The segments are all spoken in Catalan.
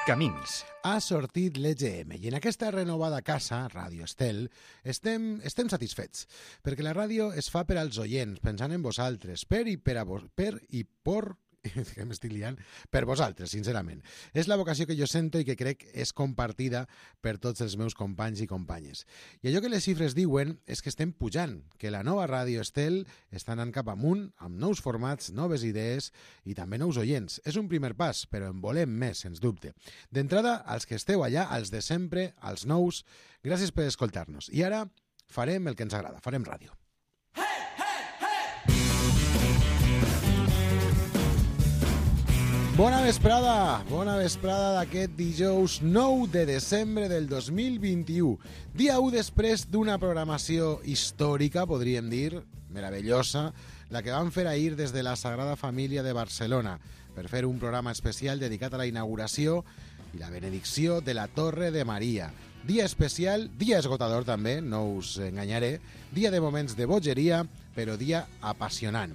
Camins. Ha sortit l'EGM i en aquesta renovada casa, Ràdio Estel, estem satisfets, perquè la ràdio es fa per als oients, pensant en vosaltres, per vosaltres, sincerament. És la vocació que jo sento i que crec és compartida per tots els meus companys i companyes. I allò que les xifres diuen és que estem pujant, que la nova Ràdio Estel està anant cap amunt, amb nous formats, noves idees i també nous oients. És un primer pas, però en volem més, sens dubte. D'entrada, als que esteu allà, als de sempre, als nous, gràcies per escoltar-nos. I ara farem el que ens agrada, farem ràdio. Bona vesprada d'aquest dijous 9 de desembre del 2021. Dia 1 després d'una programació històrica, podríem dir, meravellosa, la que van fer ahir des de la Sagrada Família de Barcelona, per fer un programa especial dedicat a la inauguració i la benedicció de la Torre de Maria. Dia especial, dia esgotador també, no us enganyaré, dia de moments de bogeria, però dia apassionant.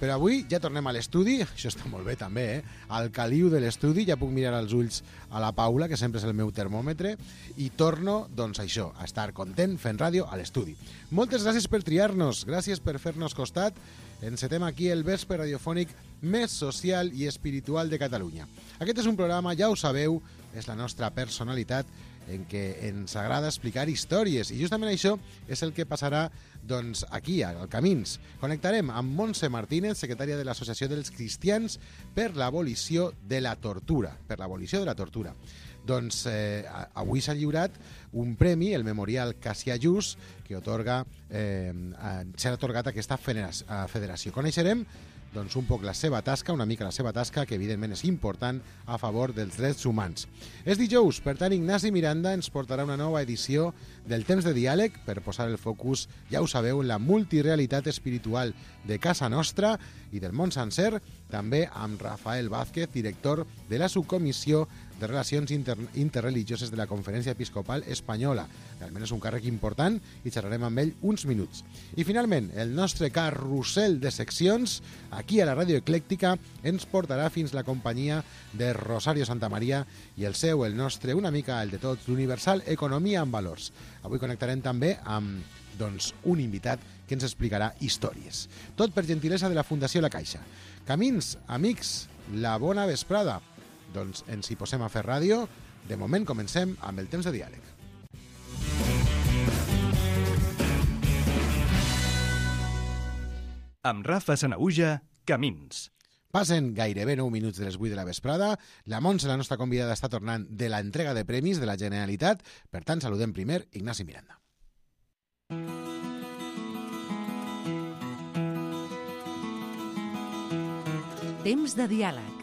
Però avui ja tornem a l'estudi, això està molt bé també, al caliu de l'estudi, ja puc mirar als ulls a la Paula, que sempre és el meu termòmetre, i torno, doncs això, a estar content fent ràdio a l'estudi. Moltes gràcies per triar-nos, gràcies per fer-nos costat. Encetem aquí el vespre radiofònic més social i espiritual de Catalunya. Aquest és un programa, ja ho sabeu, és la nostra personalitat, en què ens agrada explicar històries, i justament això és el que passarà doncs, aquí, al Camins. Connectarem amb Montse Martínez, secretària de l'Associació dels Cristians per l'Abolició de la Tortura. Doncs avui s'ha lliurat un premi, el Memorial Cassià Just, que s'ha atorgat a aquesta federació. Coneixerem doncs un poc la seva tasca, una mica la seva tasca, que evidentment és important a favor dels drets humans. És dijous, per tant, Ignasi Miranda ens portarà una nova edició del Temps de Diàleg per posar el focus, ja ho sabeu, en la multirealitat espiritual de casa nostra i del món sencer, també amb Rafael Vázquez, director de la subcomissió de Relacions Interreligioses de la Conferència Episcopal Espanyola. Realment és un càrrec important i xerrarem amb ell uns minuts. I finalment, el nostre carrusel de seccions, aquí a la Ràdio Eclèctica, ens portarà fins la companyia de Rosario Santamaria i el seu, el nostre, una mica el de tots, l'Universal Economia en Valors. Avui connectarem també amb un invitat que ens explicarà històries. Tot per gentilesa de la Fundació La Caixa. Camins, amics, la bona vesprada. Doncs ens hi posem a fer ràdio. De moment comencem amb el Temps de Diàleg. Amb Rafa Sanaüja, Camins. Passen gairebé 9 minuts de les 8 de la vesprada. La Montse, la nostra convidada, està tornant de la entrega de premis de la Generalitat. Per tant, saludem primer Ignasi Miranda. Temps de diàleg.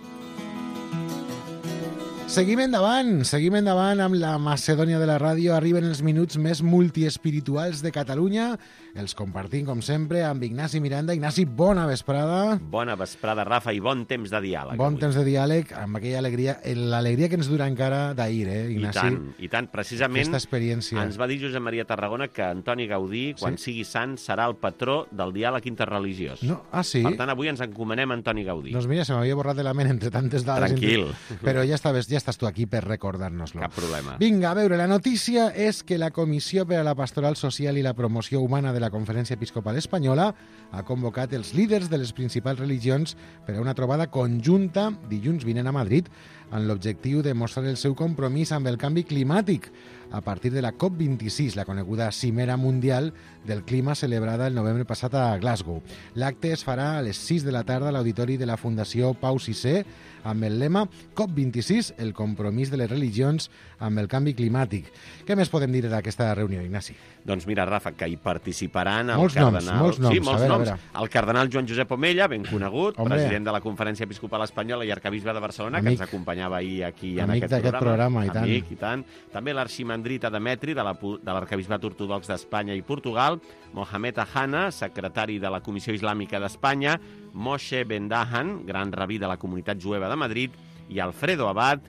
Seguim endavant amb la Macedònia de la ràdio. Arriben els minuts més multiespirituals de Catalunya. Els compartim, com sempre, amb Ignasi Miranda. Ignasi, bona vesprada. Bona vesprada, Rafa, i bon temps de diàleg. Bon temps de diàleg, amb aquella alegria, l'alegria que ens dura encara d'ahir, Ignasi? I tant. Precisament aquesta experiència. Ens va dir Josep Maria Tarragona que Antoni Gaudí, quan sigui sant, serà el patró del diàleg interreligiós. No? Ah, sí? Per tant, avui ens encomanem a Antoni Gaudí. Doncs mira, se m'havia borrat de la ment entre tantes dades. Tranquil. Però ja estàs tu aquí per recordar-nos-lo. Cap problema. Vinga, a veure, la notícia és que la Comissió per a la Pastoral Social i la Promoció Humana de la Conferència Episcopal Espanyola ha convocat els líders de les principals religions per a una trobada conjunta dilluns vinent a Madrid amb l'objectiu de mostrar el seu compromís amb el canvi climàtic a partir de la COP26, la coneguda Cimera Mundial del Clima celebrada el novembre passat a Glasgow. L'acte es farà a les 6 de la tarda a l'auditori de la Fundació Pau VI amb el lema COP26, el compromís de les religions amb el canvi climàtic. Què més podem dir d'aquesta reunió, Ignasi? Doncs mira, Rafa, que hi participaran molts noms. Sí, molts a noms. veure. El cardenal Joan Josep Omella, ben conegut, president de la Conferència Episcopal Espanyola i arcabisbe de Barcelona, que ens acompanyava ahir aquí en aquest programa. Amic i tant. També l'arximandrita Demetri, de l'arcabisbat ortodox d'Espanya i Portugal, Mohamed Ahana, secretari de la Comissió Islàmica d'Espanya, Moshe Ben Dahan, gran rabí de la comunitat jueva de Madrid, i Alfredo Abad,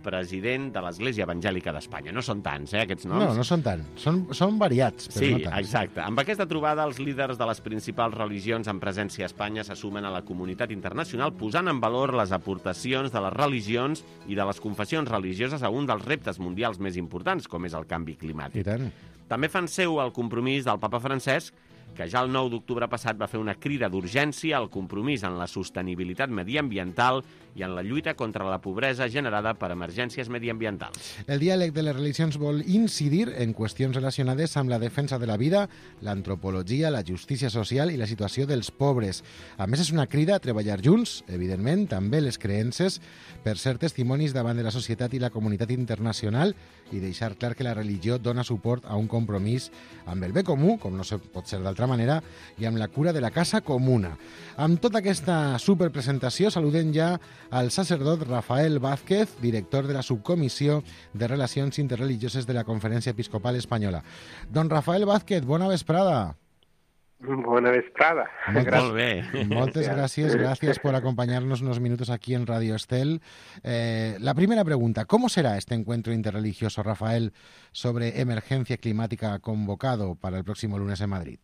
president de l'Església Evangèlica d'Espanya. No són tants, aquests noms? No, no són tant. Són variats, però sí, no tants. Exacte. Amb aquesta trobada, els líders de les principals religions en presència a Espanya se sumen a la comunitat internacional posant en valor les aportacions de les religions i de les confessions religioses a un dels reptes mundials més importants, com és el canvi climàtic. I tant. També fan seu el compromís del papa Francesc, que ja el 9 d'octubre passat va fer una crida d'urgència al compromís en la sostenibilitat mediambiental i en la lluita contra la pobresa generada per emergències mediambientals. El diàleg de les religions vol incidir en qüestions relacionades amb la defensa de la vida, l'antropologia, la justícia social i la situació dels pobres. A més, és una crida a treballar junts, evidentment, també les creences, per ser testimonis davant de la societat i la comunitat internacional i deixar clar que la religió dona suport a un compromís amb el bé comú, com no pot ser d'altra manera, i amb la cura de la casa comuna. Amb tota aquesta superpresentació saludem ja al sacerdot Rafael Vázquez, director de la subcomissió de Relacions Interreligioses de la Conferència Episcopal Espanyola. Don Rafael Vázquez, bona vesprada. Buena vesprada. Molt bé. Moltes gràcies por acompañarnos unos minutos aquí en Radio Estel. La primera pregunta, ¿cómo será este encuentro interreligioso, Rafael, sobre emergencia climática convocado para el próximo lunes en Madrid?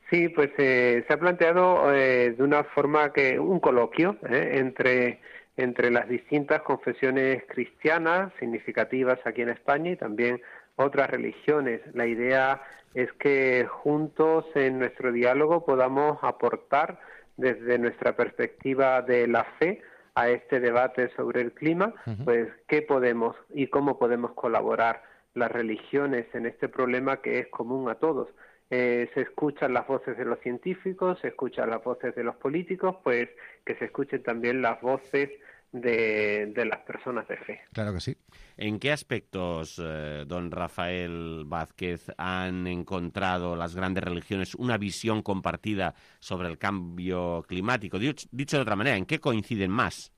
Sí, pues se ha planteado de una forma que un coloquio entre las distintas confesiones cristianas significativas aquí en España y también otras religiones. La idea es que juntos en nuestro diálogo podamos aportar desde nuestra perspectiva de la fe a este debate sobre el clima, pues qué podemos y cómo podemos colaborar las religiones en este problema que es común a todos. Se escuchan las voces de los científicos, se escuchan las voces de los políticos, pues que se escuchen también las voces de las personas de fe. Claro que sí. ¿En qué aspectos, don Rafael Vázquez, han encontrado las grandes religiones una visión compartida sobre el cambio climático? Dicho de otra manera, ¿en qué coinciden más?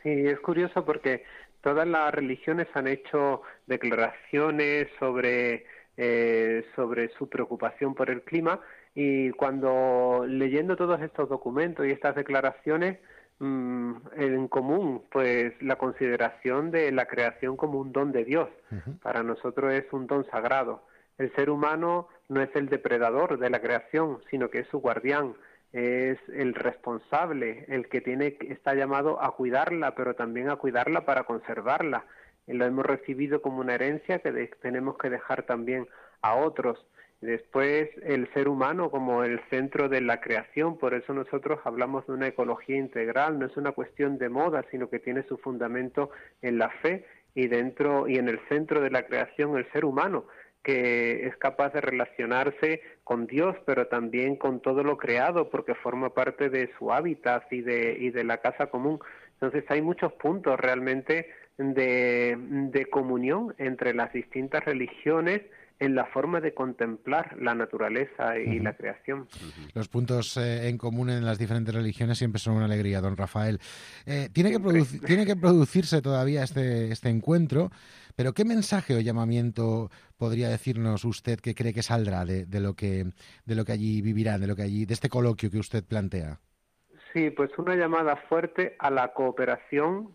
Sí, es curioso porque todas las religiones han hecho declaraciones sobre su preocupación por el clima, y cuando leyendo todos estos documentos y estas declaraciones, en común, pues la consideración de la creación como un don de Dios. Para nosotros es un don sagrado. El ser humano no es el depredador de la creación, sino que es su guardián, es el responsable, el que está llamado a cuidarla, pero también a cuidarla para conservarla. Lo hemos recibido como una herencia que tenemos que dejar también a otros. Después, el ser humano como el centro de la creación, por eso nosotros hablamos de una ecología integral, no es una cuestión de moda, sino que tiene su fundamento en la fe y en el centro de la creación el ser humano, que es capaz de relacionarse con Dios, pero también con todo lo creado, porque forma parte de su hábitat y de la casa común. Entonces hay muchos puntos realmente de comunión entre las distintas religiones en la forma de contemplar la naturaleza y la creación. Los puntos en común en las diferentes religiones siempre son una alegría, don Rafael. Tiene que producirse todavía este encuentro, pero ¿qué mensaje o llamamiento podría decirnos usted que cree que saldrá de lo que allí vivirán, de este coloquio que usted plantea? Sí, pues una llamada fuerte a la cooperación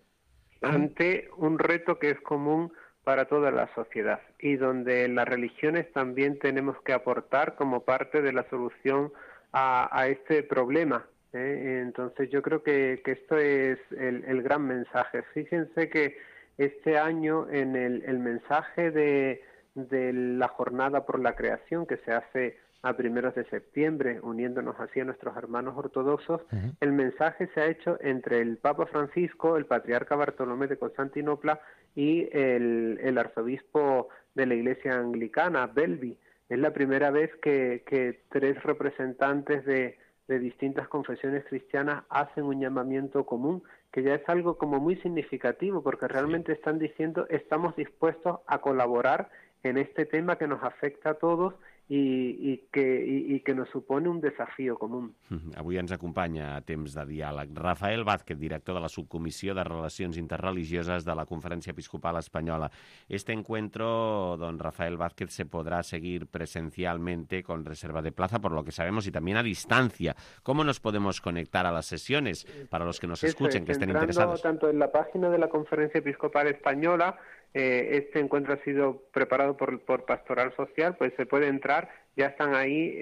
ante un reto que es común para toda la sociedad y donde las religiones también tenemos que aportar como parte de la solución a este problema. Entonces yo creo que esto es el gran mensaje. Fíjense que este año en el mensaje de la Jornada por la Creación que se hace a primeros de septiembre, uniéndonos así a nuestros hermanos ortodoxos, el mensaje se ha hecho entre el Papa Francisco, el Patriarca Bartolomé de Constantinopla y el arzobispo de la Iglesia Anglicana, Belby. Es la primera vez que tres representantes de distintas confesiones cristianas hacen un llamamiento común, que ya es algo como muy significativo, porque realmente están diciendo estamos dispuestos a colaborar en este tema que nos afecta a todos i que nos supone un desafío común. Avui ens acompanya a Temps de Diàleg Rafael Vázquez, director de la Subcomissió de Relacions Interreligioses de la Conferencia Episcopal Española. Este encuentro, don Rafael Vázquez, se podrá seguir presencialmente con reserva de plaza, por lo que sabemos, y también a distancia. ¿Cómo nos podemos conectar a las sesiones para los que nos escuchen, que estén interesados? Tanto en la página de la Conferencia Episcopal Española, este encuentro ha sido preparado por Pastoral Social, pues se puede entrar, ya están ahí,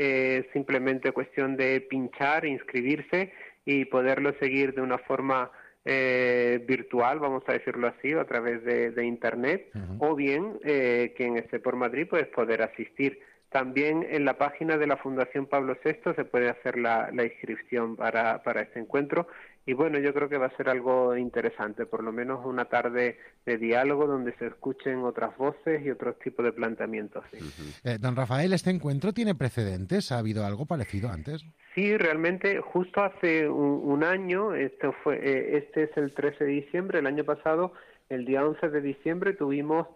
simplemente cuestión de pinchar, inscribirse y poderlo seguir de una forma virtual, vamos a decirlo así, a través de Internet, o bien quien esté por Madrid, pues poder asistir. También en la página de la Fundación Pablo VI se puede hacer la inscripción para este encuentro. Y bueno, yo creo que va a ser algo interesante, por lo menos una tarde de diálogo donde se escuchen otras voces y otros tipos de planteamientos. ¿Sí? Don Rafael, ¿este encuentro tiene precedentes? ¿Ha habido algo parecido antes? Sí, realmente justo hace un año, este es el 13 de diciembre, el año pasado, el día 11 de diciembre tuvimos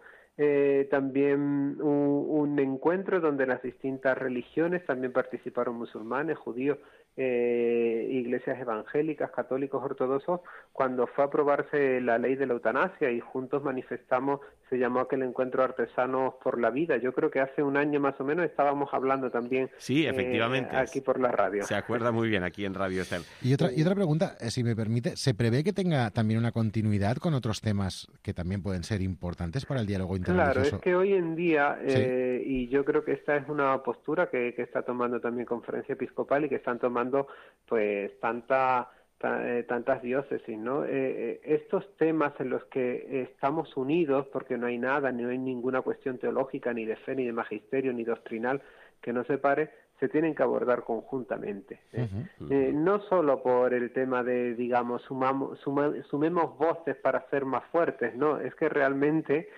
también un encuentro donde las distintas religiones, también participaron musulmanes, judíos, iglesias evangélicas, católicos, ortodoxos, cuando fue a aprobarse la ley de la eutanasia y juntos manifestamos, se llamó aquel encuentro Artesanos por la Vida. Yo creo que hace un año más o menos estábamos hablando también sí, efectivamente, aquí por la radio. Se acuerda muy bien aquí en Radio Estel. Y otra pregunta, si me permite, ¿se prevé que tenga también una continuidad con otros temas que también pueden ser importantes para el diálogo interreligioso? Claro, es que hoy en día, y yo creo que esta es una postura que está tomando también Conferencia Episcopal y que están tomando pues tantas diócesis, ¿no? Estos temas en los que estamos unidos, porque no hay nada, no hay ninguna cuestión teológica, ni de fe, ni de magisterio, ni doctrinal que nos separe, se tienen que abordar conjuntamente. No solo por el tema de, digamos, sumemos voces para ser más fuertes, no, es que realmente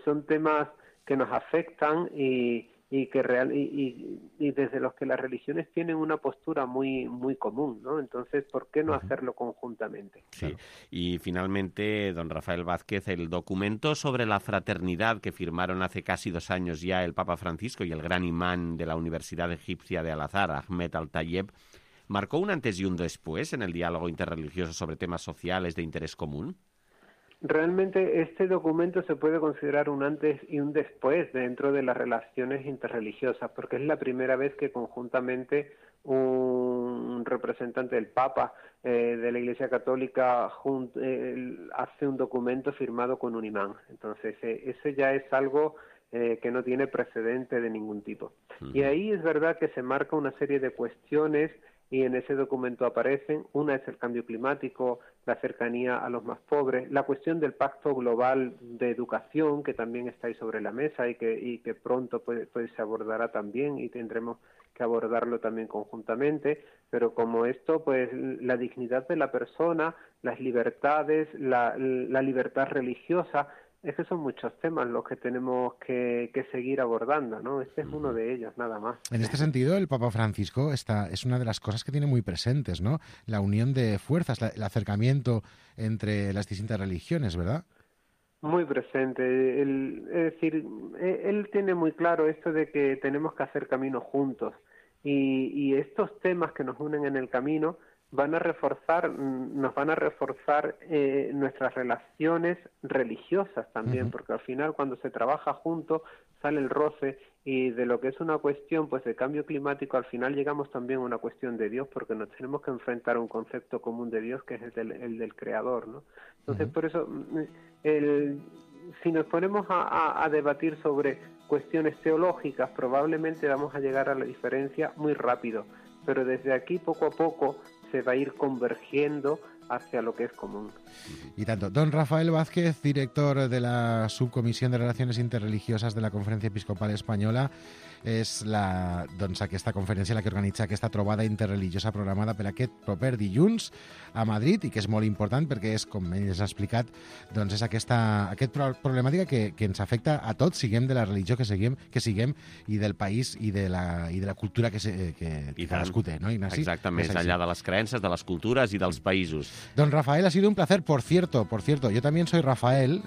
son temas que nos afectan y desde los que las religiones tienen una postura muy común, ¿no? Entonces, ¿por qué no hacerlo conjuntamente? Sí. Claro. Y finalmente, don Rafael Vázquez, el documento sobre la fraternidad que firmaron hace casi 2 años ya el Papa Francisco y el gran imán de la Universidad Egipcia de Al-Azhar, Ahmed Al-Tayeb, ¿marcó un antes y un después en el diálogo interreligioso sobre temas sociales de interés común? Realmente este documento se puede considerar un antes y un después dentro de las relaciones interreligiosas, porque es la primera vez que conjuntamente un representante del Papa de la Iglesia Católica hace un documento firmado con un imán. Entonces, ese ya es algo que no tiene precedente de ningún tipo. Y ahí es verdad que se marca una serie de cuestiones y en ese documento aparecen, una es el cambio climático, la cercanía a los más pobres, la cuestión del pacto global de educación, que también está ahí sobre la mesa y que pronto pues se abordará también y tendremos que abordarlo también conjuntamente, pero como esto, pues la dignidad de la persona, las libertades, la libertad religiosa, es que son muchos temas los que tenemos que seguir abordando, ¿no? Este es uno de ellos, nada más. En este sentido, el Papa Francisco es una de las cosas que tiene muy presentes, ¿no? La unión de fuerzas, el acercamiento entre las distintas religiones, ¿verdad? Muy presente. Es decir, él tiene muy claro esto de que tenemos que hacer camino juntos. Y estos temas que nos unen en el camino nos van a reforzar nuestras relaciones religiosas también, porque al final cuando se trabaja juntos sale el roce y de lo que es una cuestión pues de cambio climático al final llegamos también a una cuestión de Dios, porque nos tenemos que enfrentar a un concepto común de Dios que es el del Creador, ¿no? Entonces por eso si nos ponemos a debatir sobre cuestiones teológicas probablemente vamos a llegar a la diferencia muy rápido, pero desde aquí poco a poco se va a ir convergiendo hacia lo que es común. Y tanto. Don Rafael Vázquez, director de la Subcomissió de Relacions Interreligioses de la Conferència Episcopal Espanyola, és aquesta conferència la que organitza aquesta trobada interreligiosa programada per aquest proper dilluns a Madrid i que és molt important perquè és, com ell ens ha explicat, doncs és aquesta problemàtica que ens afecta a tots, siguem de la religió que siguem i del país i de la cultura que cadascú té, no, Ignasi? Exacte, més allà de les creences, de les cultures i dels països. Don Rafael, ha sido un placer. Por cierto, yo también soy Rafael,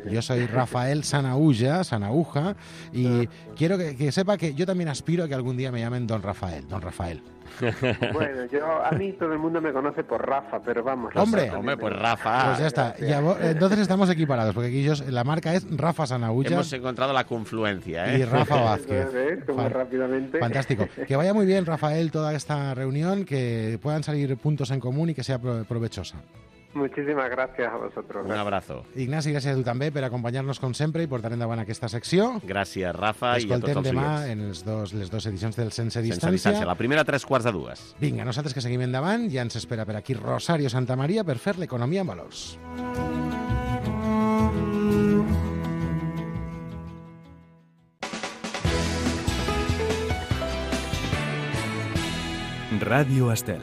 yo soy Rafael Sanauja, y quiero que sepa que yo también aspiro a que algún día me llamen Don Rafael. Don Rafael. Bueno, a mí todo el mundo me conoce por Rafa, pero vamos. Hombre, pues Rafa. Pues ya está. Entonces estamos equiparados, porque aquí la marca es Rafa Sanahuja. Hemos encontrado la confluencia, ¿eh? Y Rafa Vázquez. Como rápidamente. Fantástico. Que vaya muy bien, Rafael, toda esta reunión, que puedan salir puntos en común y que sea provechosa. Muchísimas gràcies a vosaltres. Un abrazo. Ignasi, gràcies a tu també per acompanyar-nos com sempre i portar endavant aquesta secció. Gràcies, Rafa, i a tots els Escoltem demà oients. en les dues edicions del Sense Sense Distància. distància. La primera a 2:45. Vinga, nosaltres que seguim endavant, ja ens espera per aquí Rosario Santamaría per fer l'economia en valors. Ràdio Estel.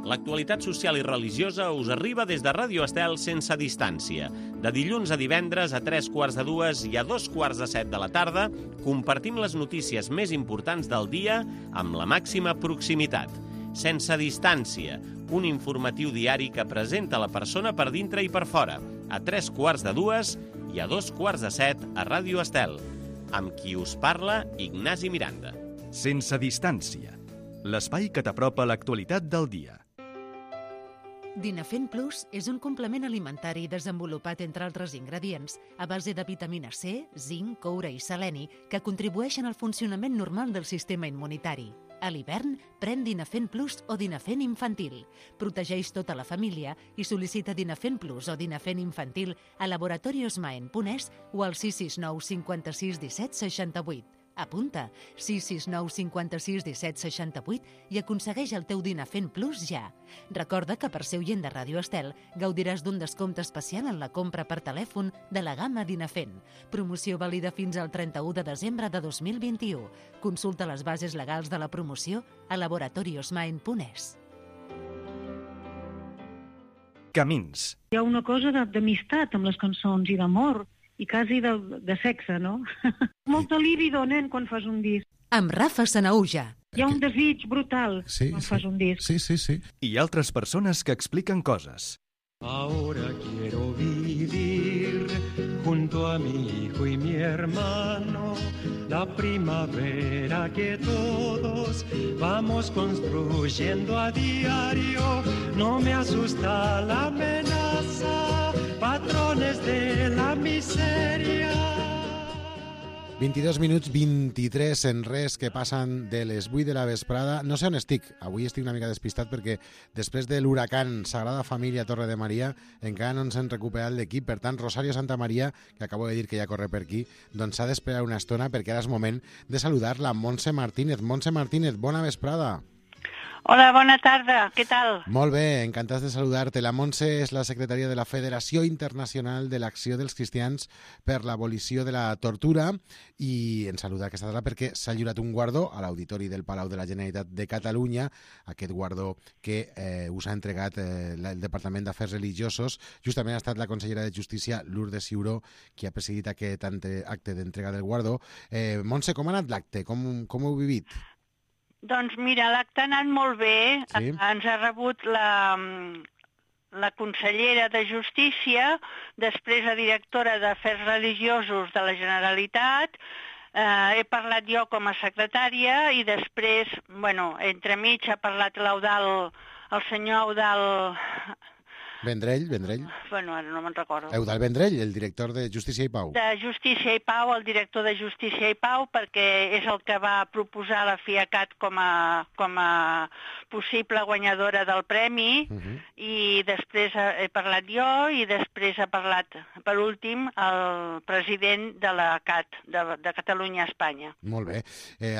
L'actualitat social i religiosa us arriba des de Ràdio Estel sense distància. De dilluns a divendres a 2:45 i a 2:45 de la tarda compartim les notícies més importants del dia amb la màxima proximitat. Sense distància, un informatiu diari que presenta la persona per dintre i per fora, a 2:45 i a 2:45 a Ràdio Estel. Amb qui us parla, Ignasi Miranda. Sense distància. L'espai que t'apropa a l'actualitat del dia. Dinafen Plus és un complement alimentari desenvolupat, entre altres ingredients, a base de vitamina C, zinc, coure i seleni, que contribueixen al funcionament normal del sistema immunitari. A l'hivern, pren Dinafen Plus o Dinafen Infantil. Protegeix tota la família i sol·licita Dinafen Plus o Dinafen Infantil a laboratoriosmaen.es o al 669 56 17 68. Apunta 669 56 17 68 i aconsegueix el teu Dinafen Plus ja. Recorda que per ser oient de Ràdio Estel gaudiràs d'un descompte especial en la compra per telèfon de la gamma Dinafen. Promoció vàlida fins al 31 de desembre de 2021. Consulta les bases legals de la promoció a laboratoriosmaen.es. Camins. Hi ha una cosa d'amistat amb les cançons i d'amor i quasi de sexe, no? Molta líbido, nen, quan fas un disc. Amb Rafa Sanahuja. Hi ha un desig brutal quan fas un disc. Sí. I altres persones que expliquen coses. Ahora quiero vivir junto a mi hijo y mi hermano la primavera que todos vamos construyendo a diario. No me asusta la amenaza, patrones de la miseria. 22 minuts 23 en res que passen de les 8 de la vesprada. No sé on estic. Avui estic una mica despistat perquè després de l'huracan Sagrada Família Torre de Maria encara no ens hem recuperat l'equip. Per tant, Rosario Santamaría, que acabo de dir que ja corre per aquí, doncs s'ha d'esperar una estona perquè ara és moment de saludar la Montse Martínez. Montse Martínez, bona vesprada. Hola, bona tarda, què tal? Molt bé, encantats de saludar-te. La Montse és la secretària de la Federació Internacional de l'Acció dels Cristians per l'Abolició de la Tortura i ens saluda aquesta tarda perquè s'ha lliurat un guardó a l'Auditori del Palau de la Generalitat de Catalunya, aquest guardó que us ha entregat el Departament d'Afers Religiosos. Justament ha estat la consellera de Justícia, Lourdes Ciuró, qui ha presidit aquest acte d'entrega del guardó. Montse, com ha anat l'acte? Com ho heu vivit? Doncs mira, l'acte ha anat molt bé. Sí. Ens ha rebut la consellera de Justícia, després la directora d'Afers Religiosos de la Generalitat, he parlat jo com a secretària i després, entremig ha parlat el senyor Eudal... Vendrell. Ara no me'n recordo. Eudal Vendrell, el director de Justícia i Pau. De Justícia i Pau, el director de Justícia i Pau, perquè és el que va proposar la FIACAT com a possible guanyadora del premi, i després he parlat jo, i després ha parlat, per últim, el president de la CAT, de Catalunya-Espanya. Molt bé.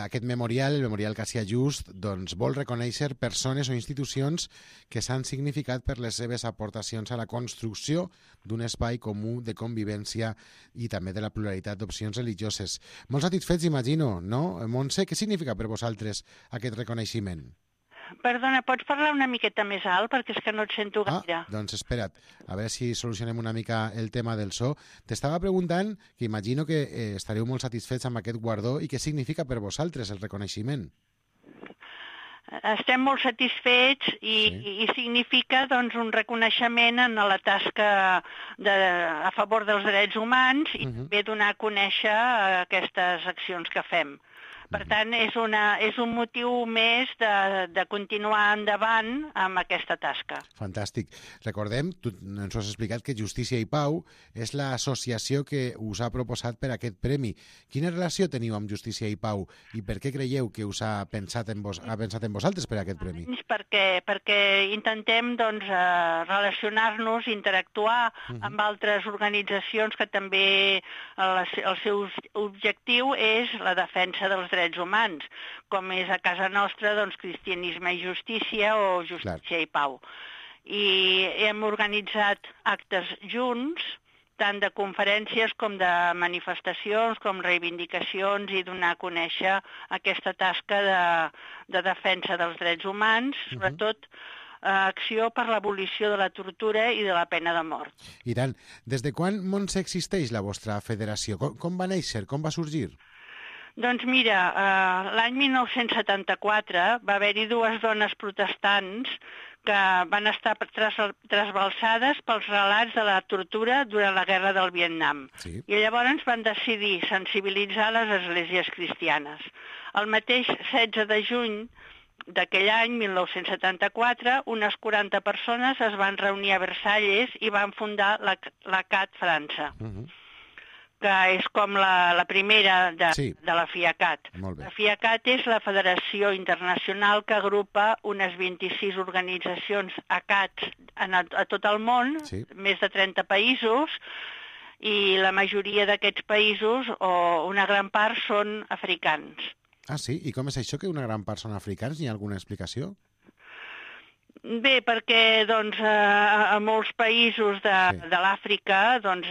Aquest memorial, el Memorial Cassià Just, doncs vol reconèixer persones o institucions que s'han significat per les seves aportacions a la construcció d'un espai comú de convivència i també de la pluralitat d'opcions religioses. Molt satisfets, imagino, no? Montse, què significa per vosaltres aquest reconeixement? Perdona, pots parlar una miqueta més alt perquè és que no et sento gaire. Doncs espera't, a veure si solucionem una mica el tema del so. T'estava preguntant, que imagino que estareu molt satisfets amb aquest guardó i què significa per vosaltres el reconeixement? estem molt satisfets i significa doncs, un reconeixement en la tasca a favor dels drets humans i també donar a conèixer aquestes accions que fem. Per tant, és un motiu més de continuar endavant amb aquesta tasca. Fantàstic. Recordem, tu ens has explicat que Justícia i Pau és l'associació que us ha proposat per aquest premi. Quina relació teniu amb Justícia i Pau i per què creieu que us ha pensat en vosaltres per aquest premi? Perquè intentem doncs, relacionar-nos, interactuar amb altres organitzacions que també el seu objectiu és la defensa dels drets humans, com és a casa nostra doncs, Cristianisme i Justícia o Justícia i Pau. I hem organitzat actes junts, tant de conferències com de manifestacions, com reivindicacions i donar a conèixer aquesta tasca de defensa dels drets humans, sobretot acció per l'abolició de la tortura i de la pena de mort. I tant. Des de quan, Montse, existeix la vostra federació? Com va néixer? Com va sorgir? Doncs mira, l'any 1974 va haver-hi dues dones protestants que van estar trasbalsades pels relats de la tortura durant la guerra del Vietnam. Sí. I llavors van decidir sensibilitzar les esglésies cristianes. El mateix 16 de juny d'aquell any, 1974, unes 40 persones es van reunir a Versalles i van fundar la CAT França. Que és com la primera de la FIACAT. La FIACAT és la Federació Internacional que agrupa unes 26 organitzacions ACAT a tot el món, més de 30 països, i la majoria d'aquests països, o una gran part, són africans. Ah, sí? I com és això que una gran part són africans? Hi ha alguna explicació? Bé, perquè doncs, a molts països de l'Àfrica, doncs,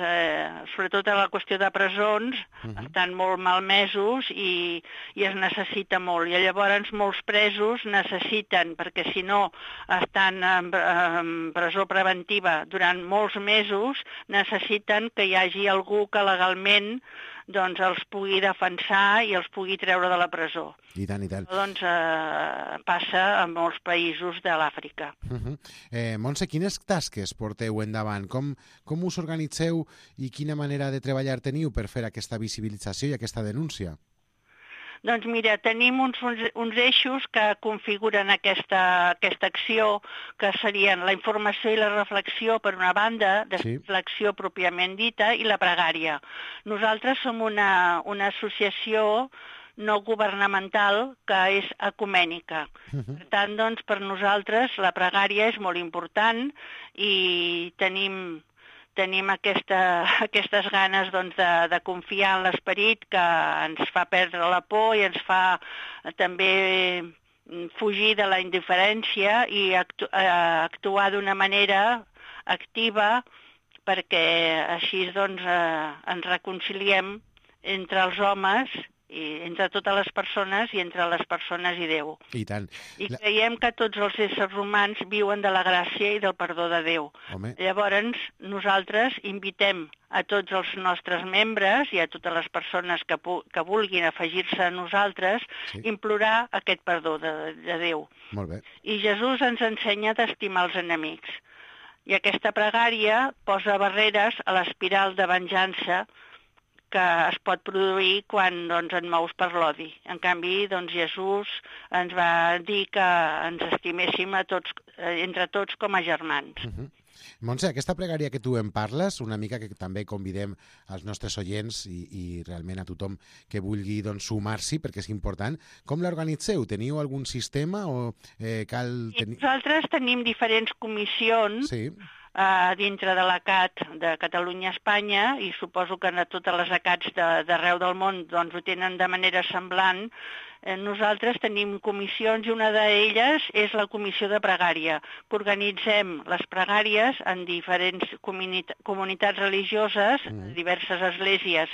sobretot a la qüestió de presons, estan molt malmesos i es necessita molt. I llavors molts presos necessiten, perquè si no estan en presó preventiva durant molts mesos, necessiten que hi hagi algú que legalment doncs els pugui defensar i els pugui treure de la presó. I tant, i tant. Doncs passa en molts països de l'Àfrica. Montse, quines tasques porteu endavant? Com us organitzeu i quina manera de treballar teniu per fer aquesta visibilització i aquesta denúncia? Doncs mira, tenim uns eixos que configuren aquesta acció, que serien la informació i la reflexió per una banda, després l'acció pròpiament dita i la pregària. Nosaltres som una associació no governamental que és ecumènica. Per tant, doncs, per nosaltres la pregària és molt important i tenim aquestes ganes doncs, de confiar en l'esperit que ens fa perdre la por i ens fa també fugir de la indiferència i actuar d'una manera activa perquè així doncs, ens reconciliem entre els homes i entre totes les persones i entre les persones i Déu. I tant. I creiem que tots els éssers humans viuen de la gràcia i del perdó de Déu. Home. Llavors, nosaltres invitem a tots els nostres membres i a totes les persones que vulguin afegir-se a nosaltres, implorar aquest perdó de Déu. Molt bé. I Jesús ens ensenya d'estimar els enemics. I aquesta pregària posa barreres a l'espiral de venjança que es pot produir quan doncs, en mous per l'odi. En canvi, doncs, Jesús ens va dir que ens estiméssim entre tots com a germans. Montse, aquesta pregària que tu en parles, una mica que també convidem als nostres oients i realment a tothom que vulgui doncs, sumar-s'hi, perquè és important, com l'organitzeu? Teniu algun sistema o cal... Nosaltres tenim diferents comissions dintre de l'ACAT de Catalunya-Espanya i suposo que totes les ACATs d'arreu del món doncs, ho tenen de manera semblant. Nosaltres tenim comissions i una d'elles és la comissió de pregària, que organitzem les pregàries en diferents comunitats religioses, diverses esglésies,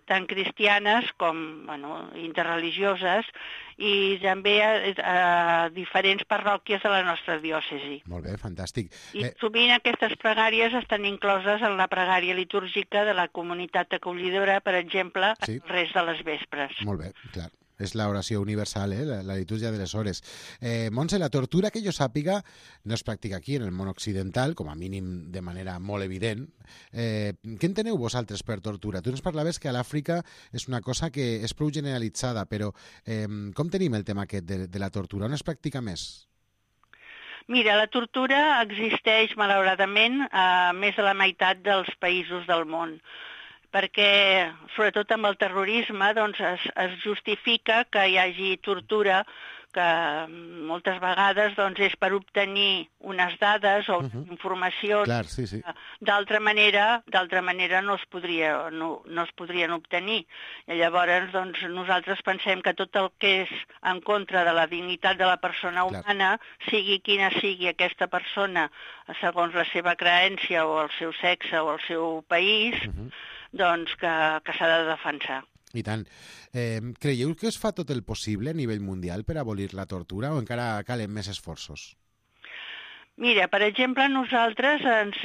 tant cristianes com interreligioses, i també a diferents parròquies de la nostra diòcesi. Molt bé, fantàstic. I sovint aquestes pregàries estan incloses en la pregària litúrgica de la comunitat acollidora, per exemple, el rest de les vespres. Molt bé, clar. és l'oració universal, la litúrgia de les hores. Montse, la tortura que jo sàpiga no es practica aquí, en el món occidental, com a mínim de manera molt evident. Què enteneu vosaltres per tortura? Tu ens parlaves que a l'Àfrica és una cosa que és prou generalitzada, però com tenim el tema aquest de la tortura? On es practica més? Mira, la tortura existeix, malauradament, a més de la meitat dels països del món, perquè, sobretot amb el terrorisme, doncs, es justifica que hi hagi tortura, que moltes vegades doncs, és per obtenir unes dades o informacions. Clar, sí. D'altra manera no es podrien obtenir. I llavors doncs, nosaltres pensem que tot el que és en contra de la dignitat de la persona humana, sigui quina sigui aquesta persona, segons la seva creença o el seu sexe o el seu país, doncs que s'ha de defensar. I tant. Creieu que es fa tot el possible a nivell mundial per abolir la tortura o encara calen més esforços? Mira, per exemple, nosaltres ens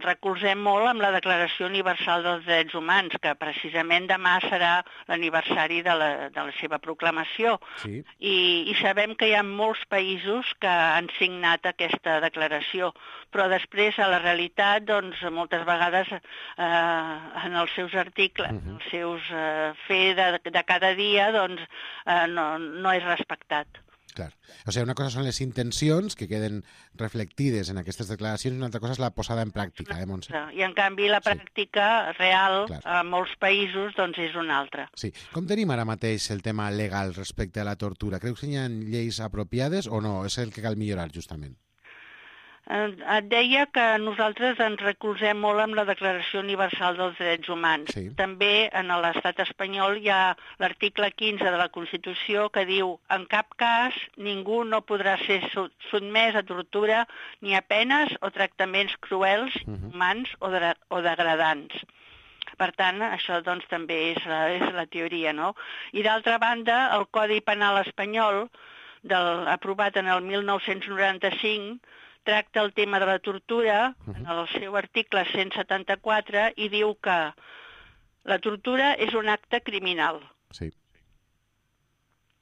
recolzem molt amb la Declaració Universal dels Drets Humans, que precisament demà serà l'aniversari de la seva proclamació. Sí. I sabem que hi ha molts països que han signat aquesta declaració, però després, a la realitat, doncs, moltes vegades en els seus articles, en els seus fer de cada dia, doncs, no és respectat. Clar. O sigui, una cosa són les intencions que queden reflectides en aquestes declaracions i una altra cosa és la posada en pràctica, Montse? I en canvi la pràctica real a molts països doncs és una altra. Sí. Com tenim ara mateix el tema legal respecte a la tortura? Creus que hi ha lleis apropiades o no? És el que cal millorar, justament? Et deia que nosaltres ens recolzem molt amb la Declaració Universal dels Drets Humans. Sí. També en l'estat espanyol hi ha l'article 15 de la Constitució que diu en cap cas ningú no podrà ser sotmès a tortura ni a penes o tractaments cruels, humans o degradants. Per tant, això doncs, també és la teoria, no? I d'altra banda, el Codi Penal espanyol, aprovat en el 1995, tracta el tema de la tortura en el seu article 174 i diu que la tortura és un acte criminal. Sí.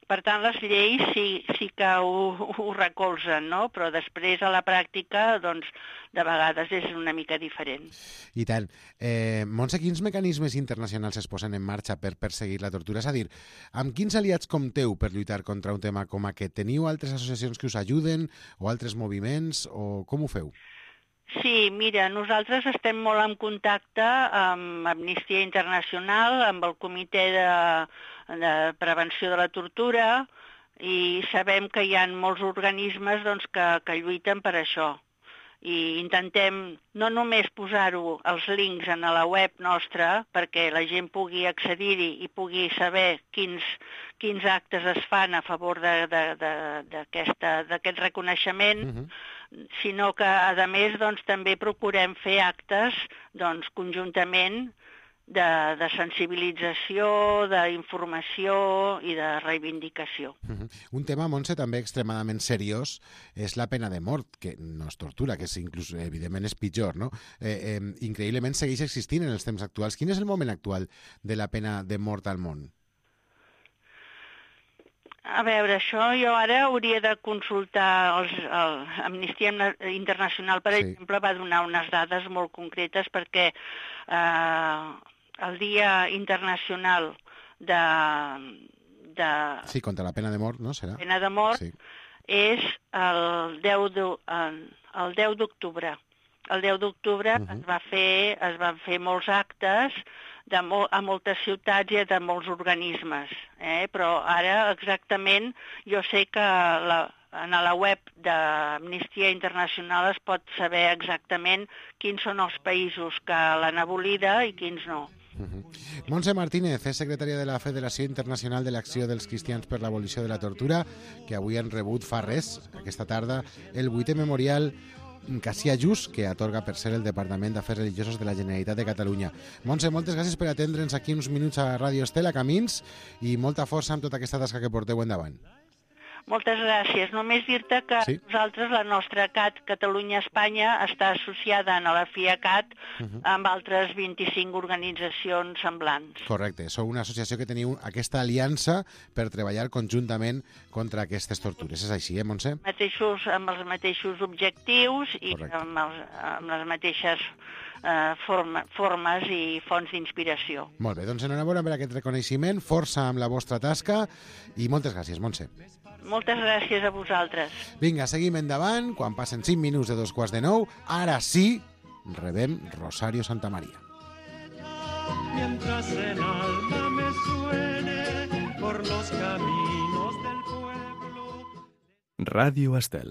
Per tant, les lleis sí que ho recolzen, no? Però després a la pràctica, doncs, de vegades és una mica diferent. I tant. Montse, quins mecanismes internacionals es posen en marxa per perseguir la tortura? És a dir, amb quins aliats compteu per lluitar contra un tema com aquest? Teniu altres associacions que us ajuden o altres moviments o com ho feu? Sí, mira, nosaltres estem molt en contacte amb Amnistia Internacional, amb el Comitè de Prevenció de la Tortura i sabem que hi ha molts organismes doncs, que lluiten per això. I intentem no només posar-ho els links en la web nostra perquè la gent pugui accedir-hi i pugui saber quins actes es fan a favor d'aquest reconeixement, sinó que, a més, doncs, també procurem fer actes doncs, conjuntament de sensibilització, d'informació i de reivindicació. Un tema, Montse, també extremadament seriós és la pena de mort, que no és tortura, que inclús, evidentment, és pitjor, no? Increïblement segueix existint en els temps actuals. Quin és el moment actual de la pena de mort al món? A veure, això jo ara hauria de consultar Amnistia Internacional, per exemple, va donar unes dades molt concretes perquè el Dia Internacional Sí, contra la pena de mort, no? Serà? Pena de mort és el 10 d'octubre. El 10 d'octubre es van fer molts actes a moltes ciutats i de molts organismes, però ara exactament jo sé que en la web d'Amnistia Internacional es pot saber exactament quins són els països que l'han abolida i quins no. Montse Martínez és secretària de la Federació Internacional de l'Acció dels Cristians per l'Abolició de la Tortura, que avui han rebut fa res, aquesta tarda, el 8è memorial Cassià Just, que atorga per ser el Departament d'Afers Religiosos de la Generalitat de Catalunya. Montse, moltes gràcies per atendre'ns aquí uns minuts a Ràdio Estela, Camins, i molta força amb tota aquesta tasca que porteu endavant. Moltes gràcies. Només dir-te que Sí. nosaltres, la nostra CAT, Catalunya-Espanya, està associada a la FIACAT amb altres 25 organitzacions semblants. Correcte, sou una associació que teniu aquesta aliança per treballar conjuntament contra aquestes tortures. És així, Montse? Amb els mateixos objectius i Correcte. amb les mateixes formes i fonts d'inspiració. Molt bé, doncs enhorabona per aquest reconeixement, força amb la vostra tasca i moltes gràcies, Montse. Moltes gràcies a vosaltres. Vinga, seguim endavant, quan passen 5 minuts de 8:45, ara sí, rebem Rosario Santamaría. Mientras el alma me suene por los caminos del pueblo. Ràdio Estel.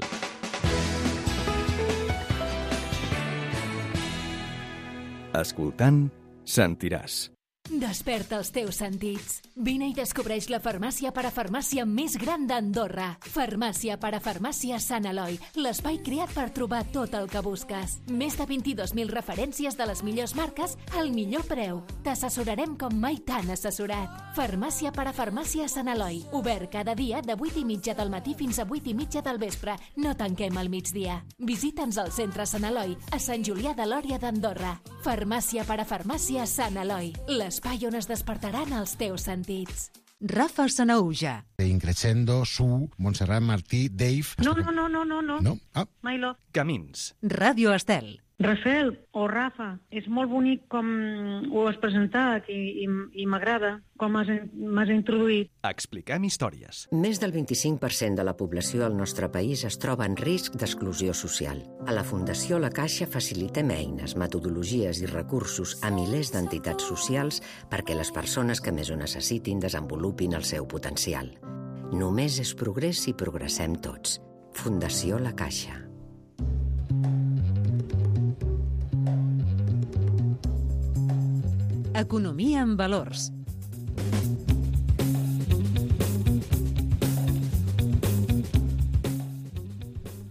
Escoltant, sentiràs. Desperta els teus sentits. Vine i descobreix la farmàcia parafarmàcia més gran d'Andorra. Farmàcia parafarmàcia Sant Eloi, l'espai creat per trobar tot el que busques. Més de 22.000 referències de les millors marques al millor preu. T'assessorarem com mai t'han assessorat. Farmàcia parafarmàcia Sant Eloi, obert cada dia de 8:30 del matí fins a 8:30 del vespre. No tanquem al migdia. Visita'ns al centre Sant Eloi, a Sant Julià de Lòria d'Andorra. Farmàcia parafarmàcia Sant Eloi, l'espai on es despertaran els teus sentits. Rafa Sanauja. Increscendo, Su, Montserrat Martí, Dave... No. No? Ah, My love. Camins. Ràdio Estel. Rafael o Rafa, és molt bonic com ho has presentat i m'agrada com m'has introduït. Expliquem històries. Més del 25% de la població al nostre país es troba en risc d'exclusió social. A la Fundació La Caixa facilitem eines, metodologies i recursos a milers d'entitats socials perquè les persones que més ho necessitin desenvolupin el seu potencial. Només és progrés si progressem tots. Fundació La Caixa. Economia en valors.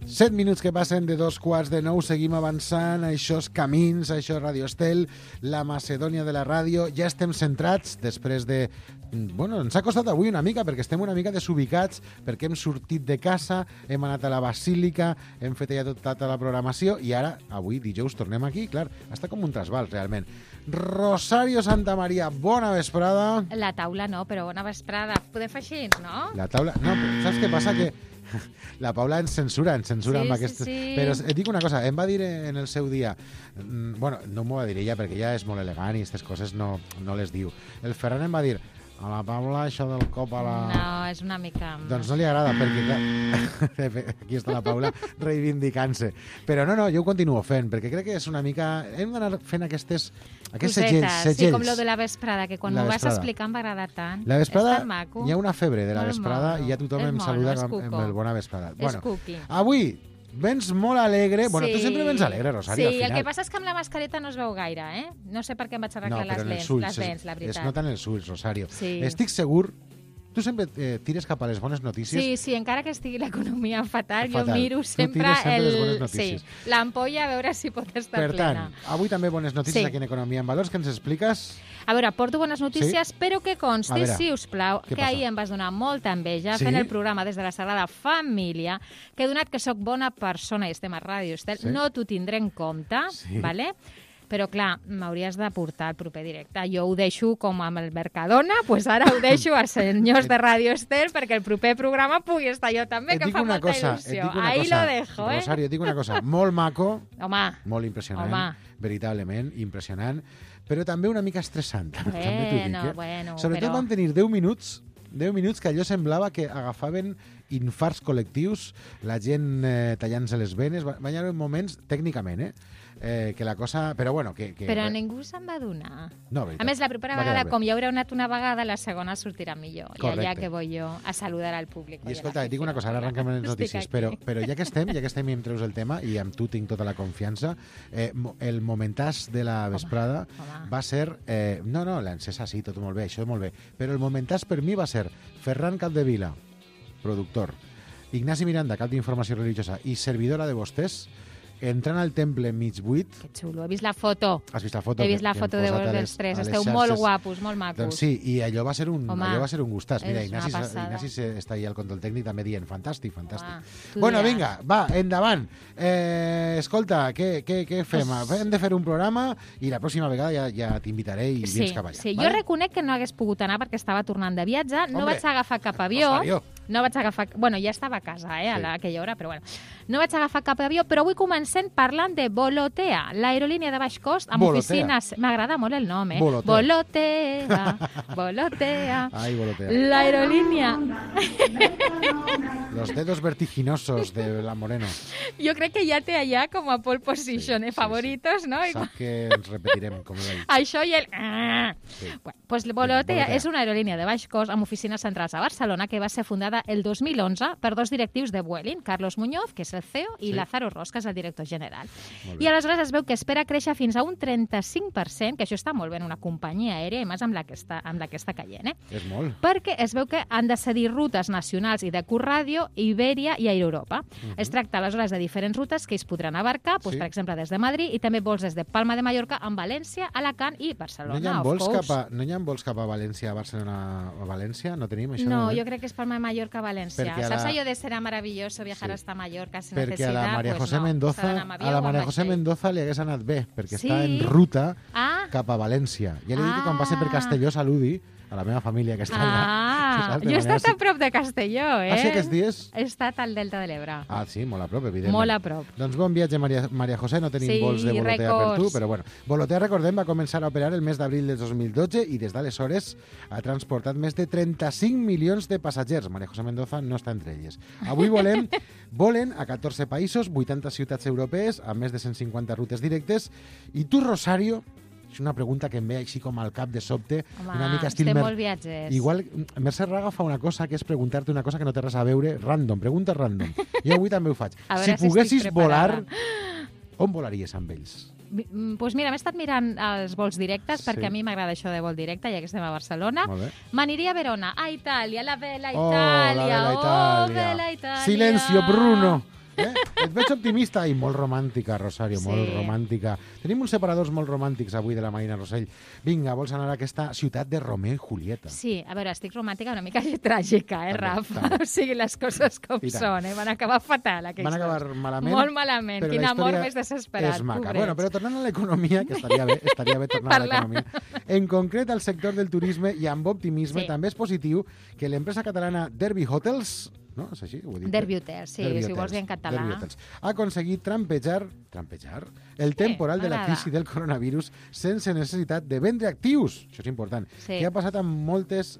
Set minuts que passen de 8:45, seguim avançant, això és Camins, això és Ràdio Estel, la Macedònia de la ràdio. Ja estem centrats després de... Bueno, ens ha costat avui una mica, perquè estem una mica desubicats, perquè hem sortit de casa, hem anat a la Basílica, hem fet ja tota la programació, i ara, avui, dijous, tornem aquí, clar, està com un trasbals, realment. Rosario Santamaría, bona vesprada. La taula no, però bona vesprada. Podem fer així, no? La taula... No, però saps què passa? Que la Paula ens censura sí, amb aquestes... Sí. Però et dic una cosa, em va dir en el seu dia... Bueno, no m'ho va dir ella, perquè ella és molt elegant i aquestes coses no les diu. El Ferran em va dir... A la Paula, això del cop a la... No, és una mica... Doncs no li agrada, perquè aquí està la Paula reivindicant-se. Però no, jo ho continuo fent, perquè crec que és una mica... Hem d'anar fent aquests segells. Sí, com lo de la vesprada, que quan m'ho vas explicar em va agradar tant. La vesprada, és tan maco. hi ha una febre de la vesprada i ja tothom em saluda amb el bona vesprada. Bueno, avui... Vens molt alegre. Bueno, tu sempre vens alegre, Rosario, al final. Sí, el que passa és que amb la mascareta no es veu gaire, eh? No sé per què em vaig arreglar les dents, la veritat. Es noten els ulls, Rosario. Sí. Estic segur... Tu sempre tires cap a les bones notícies. Sí, encara que estigui l'economia fatal, jo miro sempre les bones notícies. Sí, l'ampolla a veure si pot estar plena. Per tant, avui també bones notícies aquí en Economia en Valors, que ens expliques... A veure, porto bones notícies, però que consti, si us plau, que ahir em vas donar molta enveja fent el programa des de la Sagrada Família, que donat que sóc bona persona i estem a Ràdio Estel, no t'ho tindré en compte, ¿vale? Però, clar, m'hauries de portar el proper directe. Jo ho deixo com amb el Mercadona, doncs ara ho deixo als senyors de Ràdio Estel perquè el proper programa pugui estar jo també, que fa molta il·lusió. Ahí lo dejo, eh? Rosario, et dic una cosa, molt maco, molt impressionant, veritablement impressionant, però també una mica estressant. Bueno, sobretot vam tenir 10 minuts que allò semblava que agafaven infarts col·lectius, la gent tallant-se les venes, van haver moments, tècnicament, que la cosa... Però bueno, Però ningú se'n va donar. No, veritat. A més, la propera vegada, com ja haureu anat una vegada, la segona sortirà millor. Correcte. I allà que vull jo a saludar al públic. I escolta, et dic una cosa, ara arrenquem les notícies, però ja que estem i em treus el tema, i amb tu tinc tota la confiança, el momentàs de la vesprada va ser... No, l'encesa sí, tot molt bé, això molt bé, però el momentàs per mi va ser Ferran Capdevila, productor, Ignasi Miranda, cap d'informació religiosa, i servidora de vostès, entrant al temple mig buit. Que xulo, he vist la foto. Has vist la foto? He vist la foto de vosaltres tres. Esteu molt guapos, molt macos. Doncs sí, i allò va ser un gustàs. Mira, Ignasi està ahí al control tècnic també dient fantàstic. Bueno, vinga, va, endavant. Escolta, què fem? Hem de fer un programa i la pròxima vegada ja t'invitaré i vins cap allà. Sí, jo reconec que no hagués pogut anar perquè estava tornant de viatge, no vaig agafar cap avió. No vaig agafar... Bueno, ja estava a casa, a aquella hora, però bueno. No vaig agafar cap avió, però avui comencem parlant de Volotea, l'aerolínia de baix cost amb oficines... M'agrada molt el nom, Volotea. Ai, Volotea. L'aerolínia... Los dedos vertiginosos de la Moreno. Jo crec que ja té allà com a pole position, favoritos, no? Sap que ens repetirem, com ell. Això i el... Pues Volotea és una aerolínia de baix cost amb oficines centrals a Barcelona que va ser fundada el 2011 per dos directius de Vueling, Carlos Muñoz, que és el CEO, i Lázaro Ros, que és el director general. I aleshores es veu que espera créixer fins a un 35%, que això està molt bé en una companyia aèria, i més amb la que està caient. És molt. Perquè es veu que han de cedir rutes nacionals i de curt ràdio, Iberia i Aeroeuropa. Es tracta aleshores de diferents rutes que es podran abarcar, per exemple, des de Madrid, i també vols des de Palma de Mallorca amb València, Alacant i Barcelona. No hi ha vols cap a València, a Barcelona, a València? No tenim això? No, jo crec que és Palma de Mallorca a València. Saps allò de serà meravilloso viajar hasta Mallorca sin necesidad? Perquè a la María José Mendoza li hagués anat bé, perquè està en ruta cap a València. Ja li dic que quan passi per Castelló saludi a la meva família que està allà. Jo he estat a prop de Castelló, Ah, sí, aquests dies? He estat al Delta de l'Ebre. Ah, sí, molt a prop, evidentment. Molt a prop. Doncs bon viatge, Maria José. No tenim vols de Volotea per tu, però bueno. Volotea, recordem, va començar a operar el mes d'abril del 2012 i des d'aleshores ha transportat més de 35 milions de passatgers. Maria José Mendoza no està entre elles. Avui volen a 14 països, 80 ciutats europees, amb més de 150 rutes directes. I tu, Rosario... És una pregunta que em ve així com al cap de sobte. Una mica estil... estem molt viatgers. Igual, Mercè Raga fa una cosa que és preguntar-te una cosa que no té res a veure, random, pregunta random. Jo avui també ho faig. Si poguessis volar, on volaries amb ells? Doncs mira, m'he estat mirant els vols directes perquè a mi m'agrada això de vol directe, ja que estem a Barcelona. M'aniria a Verona, a Itàlia, la bella Itàlia. Oh, la bella Itàlia. Silencio, Bruno. Et veig optimista i molt romàntica, Rosario, molt romàntica. Tenim uns separadors molt romàntics avui de la Marina Rosell. Vinga, vols anar a aquesta ciutat de Romeo i Julieta? Sí, a veure, estic romàntica una mica tràgica, Rafa? O sigui, les coses com són, van acabar fatal, aquells dos. Van acabar malament. Molt malament, quin amor més desesperat, és maca. Bueno, però tornant a l'economia, que estaria bé tornar a l'economia. En concret, al sector del turisme i amb optimisme, també és positiu que l'empresa catalana Derby Hotels, no? És així? Ho he dit. Derby Hotels, sí, si ho vols dir en català. Ha aconseguit trampejar el temporal de la crisi del coronavirus sense necessitat de vendre actius. Això és important. Què ha passat amb moltes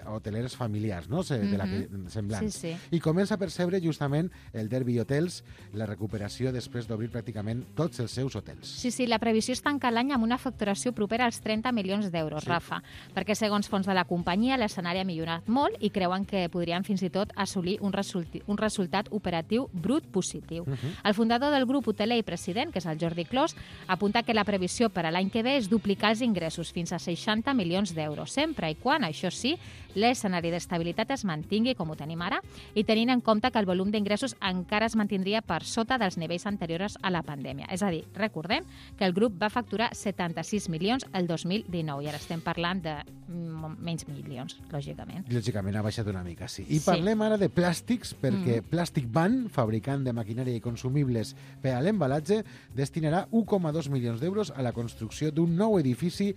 hoteleres familiars, no? Semblants. I comença a percebre justament el Derby Hotels la recuperació després d'obrir pràcticament tots els seus hotels. Sí, la previsió és tancar l'any amb una facturació propera als 30 milions d'euros, Rafa, perquè segons fons de la companyia l'escenari ha millorat molt i creuen que podrien fins i tot assolir un resultat operatiu brut positiu. El fundador del grup hoteler i president, que és el Jordi Clos, apunta que la previsió per a l'any que ve és duplicar els ingressos fins a 60 milions d'euros, sempre i quan, això sí, l'escenari d'estabilitat es mantingui com ho tenim ara i tenint en compte que el volum d'ingressos encara es mantindria per sota dels nivells anteriors a la pandèmia. És a dir, recordem que el grup va facturar 76 milions el 2019 i ara estem parlant de menys milions, lògicament. Lògicament ha baixat una mica, sí. I parlem ara de plàstics, perquè Plastic Van, fabricant de maquinària i consumibles per a l'embalatge, destinarà 1,2 milions d'euros a la construcció d'un nou edifici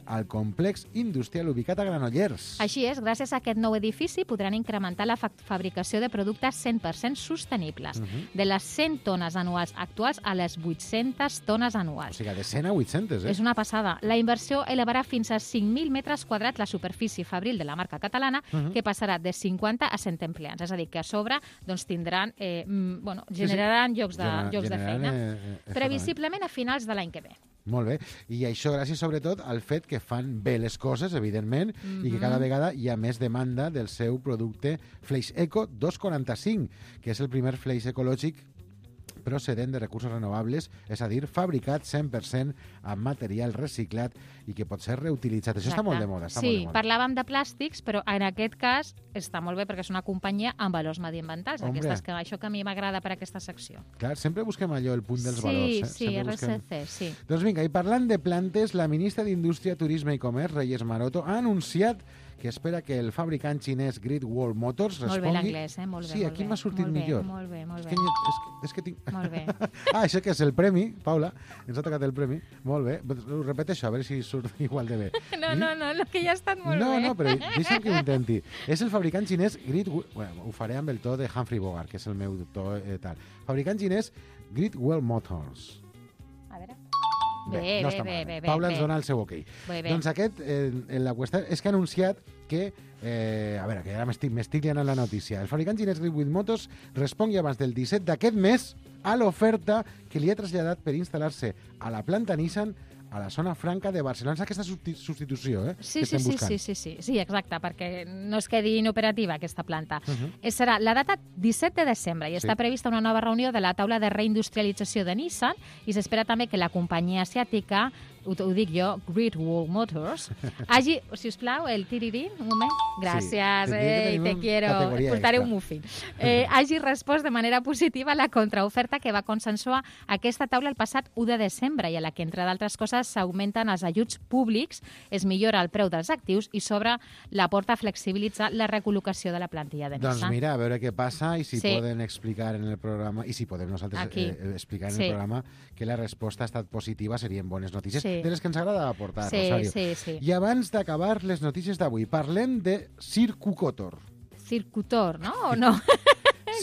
al complex industrial ubicat a Granollers. Així és, gràcies a aquest nou edifici podran incrementar la fabricació de productes 100% sostenibles, de les 100 tones anuals actuals a les 800 tones anuals. O sigui, de 100 a 800, És una passada. La inversió elevarà fins a 5.000 metres quadrats la superfície fabril de la marca catalana, que passarà de 50 a 100 empleats. És a dir, que a sobre tindran, generaran llocs de feina, previsiblement a finals de l'any que ve. Molt bé. I això gràcies, sobretot, al fet que fan bé les coses, evidentment, i que cada vegada hi ha més demanda del seu producte Fleix Eco 245, que és el primer fleix ecològic procedent de recursos renovables, és a dir, fabricat 100% amb material reciclat i que pot ser reutilitzat. Això està molt de moda. Parlàvem de plàstics, però en aquest cas està molt bé perquè és una companyia amb valors mediambientals. Això que a mi m'agrada per aquesta secció. Clar, sempre busquem allò, el punt dels valors. Sí, RSC, sí. Doncs vinga, i parlant de plantes, la ministra d'Indústria, Turisme i Comerç, Reyes Maroto, ha anunciat que espera que el fabricant xinès Great Wall Motors respongui... Molt bé l'anglès, molt bé. Sí, aquí m'ha sortit millor. Molt bé. És que tinc... Molt bé. Això que és el premi, Paula, ens ha tocat el premi. Molt bé. Ho repeteixo, a veure si surt igual de bé. No, que ja ha estat molt bé. No, però deixa'm que ho intenti. És el fabricant xinès Great Wall... Bueno, ho faré amb el to de Humphrey Bogart, que és el meu to tal. Fabricant xinès Great Wall Motors. A veure... Bé. Paula ens dona el seu ok. Doncs aquest, la qüestió és que ha anunciat que, a veure, que ara m'estic liant en la notícia. El fabricant xinès Great Wall Motors respongui abans del 17 d'aquest mes a l'oferta que li ha traslladat per instal·lar-se a la planta Nissan a la zona franca de Barcelona. És aquesta substitució, que estem buscant. Sí, exacte, perquè no es quedi inoperativa aquesta planta. Serà la data 17 de desembre i està prevista una nova reunió de la taula de reindustrialització de Nissan i s'espera també que la companyia asiàtica, ho dic jo, Great Wall Motors, hagi, si us plau, el tirirín, un moment, gràcies, te quiero, portaré un muffin, hagi respost de manera positiva a la contraoferta que va consensuar aquesta taula el passat 1 de desembre i a la que, entre d'altres coses, s'augmenten els ajuts públics, es millora el preu dels actius i s'obre la porta a flexibilitzar la recol·locació de la plantilla de Nissan. Doncs mira, a veure què passa i si poden explicar en el programa, i si podem nosaltres explicar en el programa que la resposta ha estat positiva, serien bones notícies. De les que ens agrada aportar, Rosario. Sí. I abans d'acabar les notícies d'avui, parlem de Circucotor. Circutor, no? O no?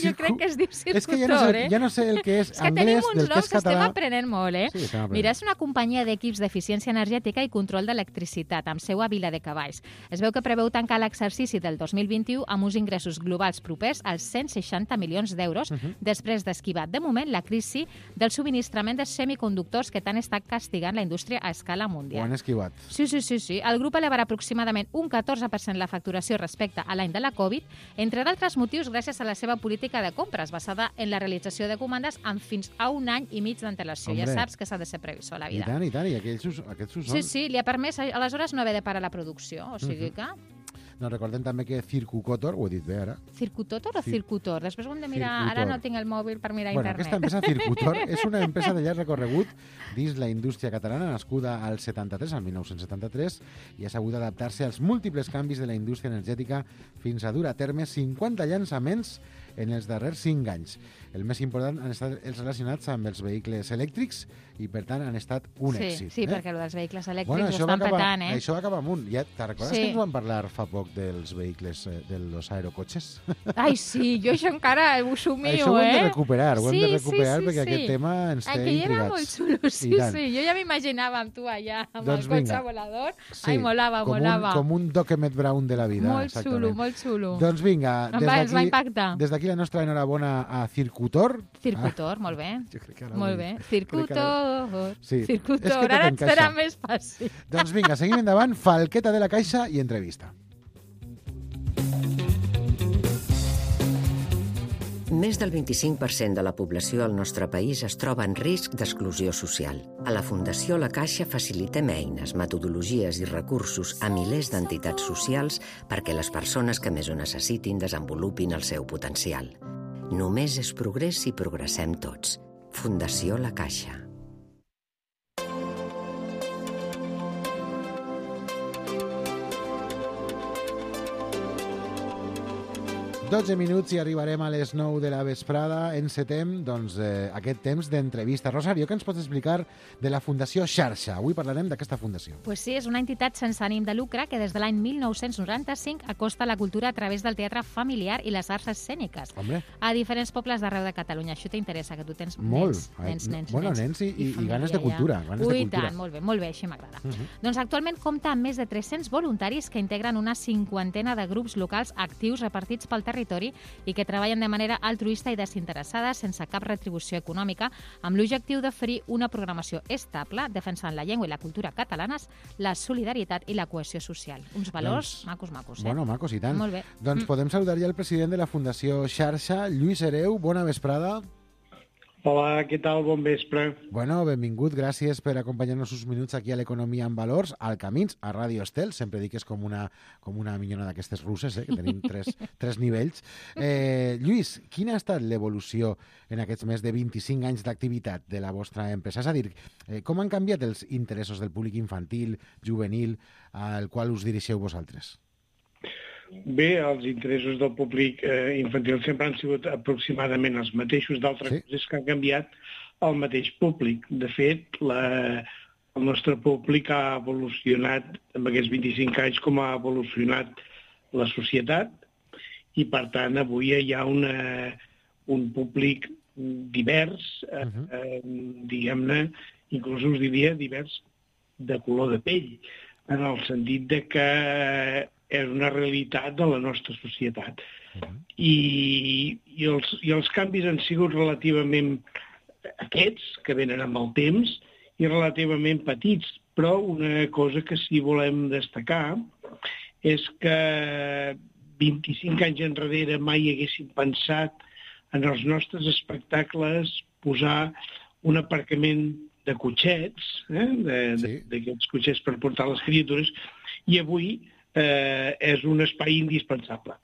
Jo crec que es diu Circutor, és que ja no sé el que és anglès del que és català. Estem aprenent molt, Sí, estem aprenent. Mira, és una companyia d'equips d'eficiència energètica i control d'electricitat, amb seu a Viladecavalls. Es veu que preveu tancar l'exercici del 2021 amb uns ingressos globals propers als 160 milions d'euros, després d'esquivar, de moment, la crisi del subministrament de semiconductors que tant està castigant la indústria a escala mundial. Ho han esquivat. Sí. El grup elevarà aproximadament un 14% la facturació respecte a l'any de la Covid, entre d'altres motius gràcies a la seva política de compres basada en la realització de comandes amb fins a 1 any i mig d'antelació. Ja saps que s'ha de ser previsor a la vida. I tant, i aquests ho són. Sí, li ha permès aleshores no haver de parar la producció, o sigui que... No, recordem també que Circucotor, ho he dit bé ara. Circutotor o Circutor? Després ho hem de mirar, ara no tinc el mòbil per mirar internet. Aquesta empresa Circutor és una empresa de llarg recorregut dins la indústria catalana, nascuda al 73, al 1973, i ha sabut adaptar-se als múltiples canvis de la indústria energètica fins a dur a terme 50 llançaments en els darrers 5 anys. El més important han estat els relacionats amb els vehicles elèctrics i, per tant, han estat un èxit. Sí, perquè el dels vehicles elèctrics ho estan petant, Això va acabar amunt. Ja te'n recordes que ens van parlar fa poc dels vehicles, dels aerocotxes? Ai, sí, jo això encara ho somio, Això ho hem de recuperar, perquè aquest tema ens té intrigats. Aquell era molt xulo, sí. Jo ja m'imaginava amb tu allà, amb el cotxe volador. Ai, molava. Com un Doc Emmett Brown de la vida. Molt xulo. Doncs vinga, ens va impactar. Des d'aquí la nostra enhorabona a Circutor. Circutor, molt bé. Molt bé. Circutor. Sí. Circutor, ara et serà més fàcil. Doncs vinga, seguim endavant. Falqueta de la Caixa i entrevista. Més del 25% de la població al nostre país es troba en risc d'exclusió social. A la Fundació La Caixa facilitem eines, metodologies i recursos a milers d'entitats socials perquè les persones que més ho necessitin desenvolupin el seu potencial. Només és progrés si progressem tots. Fundació La Caixa. 12 minuts i arribarem a les 9 de la vesprada. Encetem aquest temps d'entrevista. Rosario, què ens pots explicar de la Fundació Xarxa? Avui parlarem d'aquesta fundació. Pues sí, és una entitat sense ànim de lucre que des de l'any 1995 acosta la cultura a través del teatre familiar i les arts escèniques. A diferents pobles d'arreu de Catalunya. Això t'interessa, que tu tens nens i ganes de cultura. Ui, tant, molt bé, així m'agrada. Doncs actualment compta amb més de 300 voluntaris que integren una 50ena de grups locals actius repartits pel territori i que treballen de manera altruista i desinteressada, sense cap retribució econòmica, amb l'objectiu d'oferir una programació estable, defensant la llengua i la cultura catalanes, la solidaritat i la cohesió social. Uns valors macos. Bueno, macos i tant. Molt bé. Doncs podem saludar ja el president de la Fundació Xarxa, Lluís Hereu. Bona vesprada. Hola, què tal? Bon vespre. Bueno, benvingut, gràcies per acompanyar-nos uns minuts aquí a l'Economia en Valors, al Camins, a Ràdio Estel. Sempre dic que és com una minyona d'aquestes russes, que tenim tres nivells. Lluís, quina ha estat l'evolució en aquests més de 25 anys d'activitat de la vostra empresa? És a dir, com han canviat els interessos del públic infantil, juvenil, al qual us dirigeu vosaltres? Bé, els interessos del públic infantil sempre han sigut aproximadament els mateixos. D'altres coses que han canviat el mateix públic. De fet, el nostre públic ha evolucionat en aquests 25 anys com ha evolucionat la societat i, per tant, avui hi ha un públic divers, diguem-ne, inclús us diria divers de color de pell, en el sentit de que és una realitat de la nostra societat. I els canvis han sigut relativament aquests, que venen amb el temps, i relativament petits, però una cosa que sí volem destacar és que 25 anys enrere mai haguéssim pensat en els nostres espectacles posar un aparcament de cotxets, d'aquests cotxets per portar les criatures, i avui és un espai indispensable.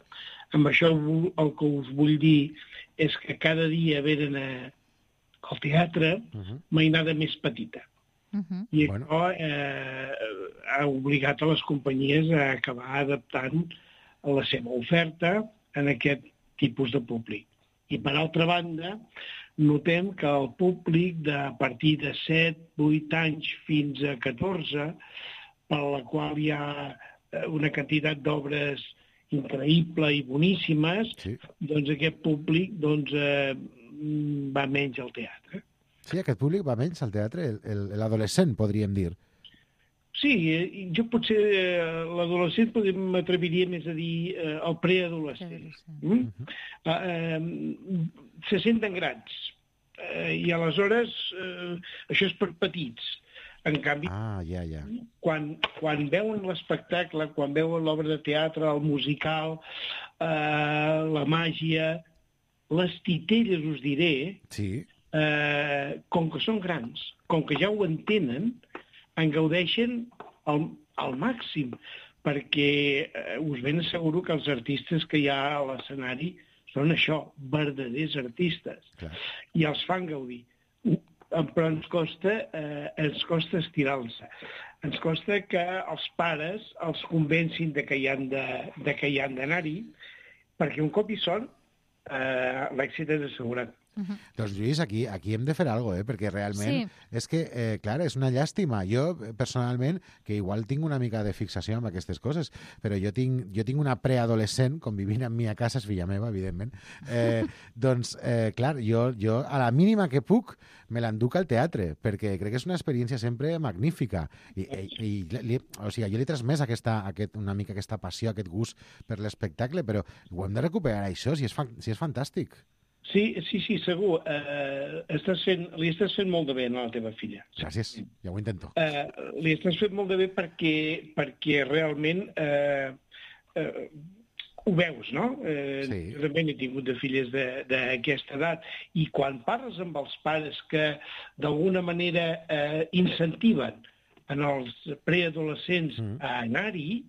Amb això el que us vull dir és que cada dia venen al teatre mainada més petita. I això ha obligat a les companyies a acabar adaptant la seva oferta en aquest tipus de públic. I per altra banda, notem que el públic de a partir de 7, 8 anys fins a 14, per la qual hi ha una quantitat d'obres increïble i boníssimes, doncs aquest públic va menys al teatre. Sí, aquest públic va menys al teatre, l'adolescent, podríem dir. Sí, jo potser l'adolescent m'atreviria més a dir el preadolescent. Se senten grans i aleshores això és per petits. En canvi, quan veuen l'espectacle, quan veuen l'obra de teatre, el musical, la màgia, les titelles, us diré, com que són grans, com que ja ho entenen, en gaudeixen al màxim, perquè us ben asseguro que els artistes que hi ha a l'escenari són això, verdaders artistes, i els fan gaudir. Però ens costa estirar-se. Ens costa que els pares els convencin de que hi han d'anar-hi, perquè un cop hi són, l'èxit és assegurat. Doncs, Lluís, aquí hem de fer alguna cosa, perquè realment és que, clar, és una llàstima. Jo, personalment, que igual tinc una mica de fixació amb aquestes coses, però jo tinc una preadolescent convivint amb mi a casa, és filla meva, evidentment. Doncs, clar, jo a la mínima que puc me l'enduc al teatre, perquè crec que és una experiència sempre magnífica. O sigui, jo li he transmès una mica aquesta passió, aquest gust per l'espectacle, però ho hem de recuperar, això, si és fantàstic. Sí, segur. Li estàs fent molt de bé a la teva filla. Gràcies, ja ho intento. Li estàs fent molt de bé perquè realment ho veus, no? Jo també n'he tingut de filles d'aquesta edat, i quan parles amb els pares que d'alguna manera incentiven en els preadolescents a anar-hi,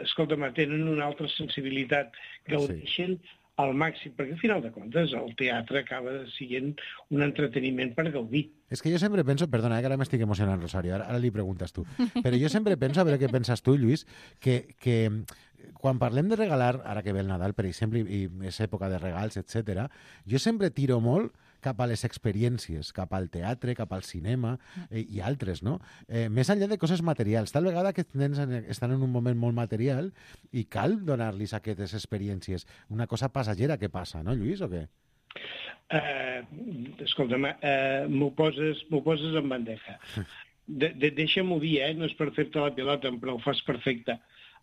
escolta'm, tenen una altra sensibilitat, gaudeixen al màxim, perquè al final de comptes el teatre acaba sent un entreteniment per gaudir. És que jo sempre penso, perdona, que ara m'estic emocionant, Rosario, ara li preguntes tu, però jo sempre penso, a veure què penses tu, Lluís, que quan parlem de regalar, ara que ve el Nadal, per exemple, i és època de regals, etc., jo sempre tiro molt cap a les experiències, cap al teatre, cap al cinema i altres, no? Més enllà de coses materials. Tal vegada aquests nens estan en un moment molt material i cal donar-los aquestes experiències. Una cosa passagera que passa, no, Lluís, o què? Escolta'm, m'ho poses en bandeja. Deixa'm-ho dir, no és per fer-te la pilota, però ho fas perfecte.